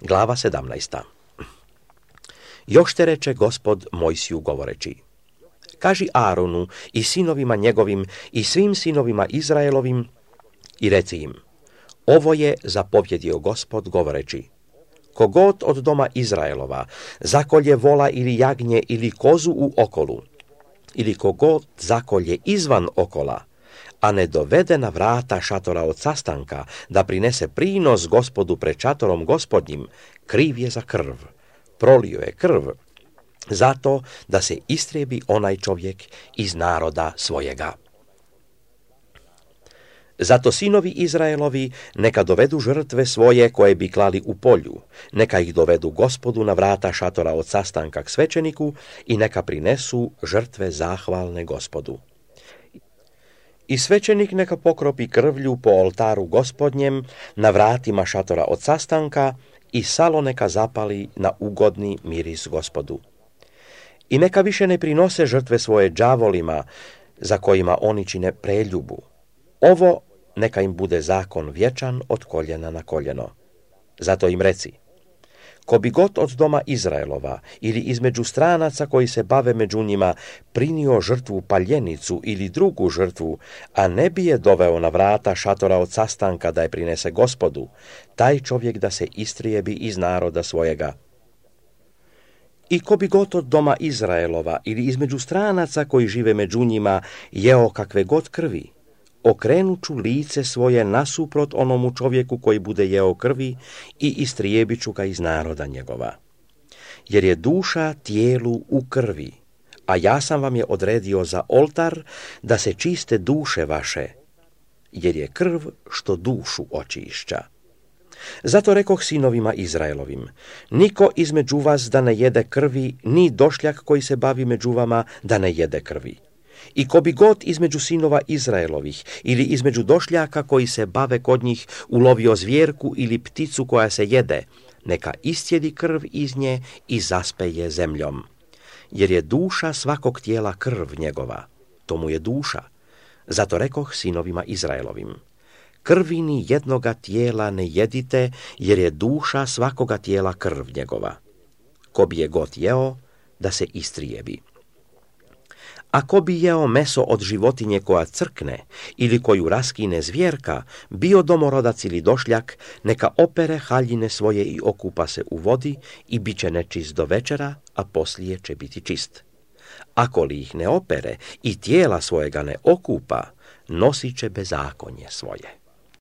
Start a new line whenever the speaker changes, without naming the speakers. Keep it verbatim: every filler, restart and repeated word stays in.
Glava sedamnaesta. Još te reče Gospod Mojsiju govoreći: kaži Aronu i sinovima njegovim i svim sinovima Izraelovim i reci im: ovo je zapovjedio Gospod govoreći: kogod od doma Izraelova zakolje vola ili jagnje ili kozu u okolu, ili kogod zakolje izvan okola, a ne dovede na vrata šatora od sastanka da prinese prinos Gospodu pred šatorom Gospodnjim, kriv je za krv, prolio je krv, zato da se istrijebi onaj čovjek iz naroda svojega. Zato sinovi Izraelovi neka dovedu žrtve svoje koje bi klali u polju, neka ih dovedu Gospodu na vrata šatora od sastanka k svećeniku i neka prinesu žrtve zahvalne Gospodu. I svećenik neka pokropi krvlju po oltaru Gospodnjem na vratima šatora od sastanka i salo neka zapali na ugodni miris Gospodu. I neka više ne prinose žrtve svoje đavolima za kojima oni čine preljubu. Ovo neka im bude zakon vječan od koljena na koljeno. Zato im reci: ko bi god od doma Izraelova ili između stranaca koji se bave među njima prinio žrtvu paljenicu ili drugu žrtvu, a ne bi je doveo na vrata šatora od sastanka da je prinese Gospodu, taj čovjek da se istrijebi iz naroda svojega. I ko bi god od doma Izraelova ili između stranaca koji žive među njima jeo kakve god krvi, okrenuću lice svoje nasuprot onomu čovjeku koji bude jeo krvi i istrijebit ću ga iz naroda njegova. Jer je duša tijelu u krvi, a ja sam vam je odredio za oltar da se čiste duše vaše, jer je krv što dušu očišća. Zato rekoh sinovima Izraelovim: niko između vas da ne jede krvi, ni došljak koji se bavi među vama da ne jede krvi. I ko bi god između sinova Izraelovih ili između došljaka koji se bave kod njih ulovio zvjerku ili pticu koja se jede, neka istjedi krv iz nje i zaspeje zemljom. Jer je duša svakog tijela krv njegova, to mu je duša. Zato rekoh sinovima Izraelovim: krvi ni jednoga tijela ne jedite, jer je duša svakoga tijela krv njegova. Ko bi je god jeo, da se istrijebi. Ako bi jeo meso od životinje koja crkne ili koju raskine zvjerka, bio domorodac ili došljak, neka opere haljine svoje i okupa se u vodi i bit će nečist do večera, a poslije će biti čist. Ako li ih ne opere i tijela svojega ne okupa, nosit će bezakonje svoje.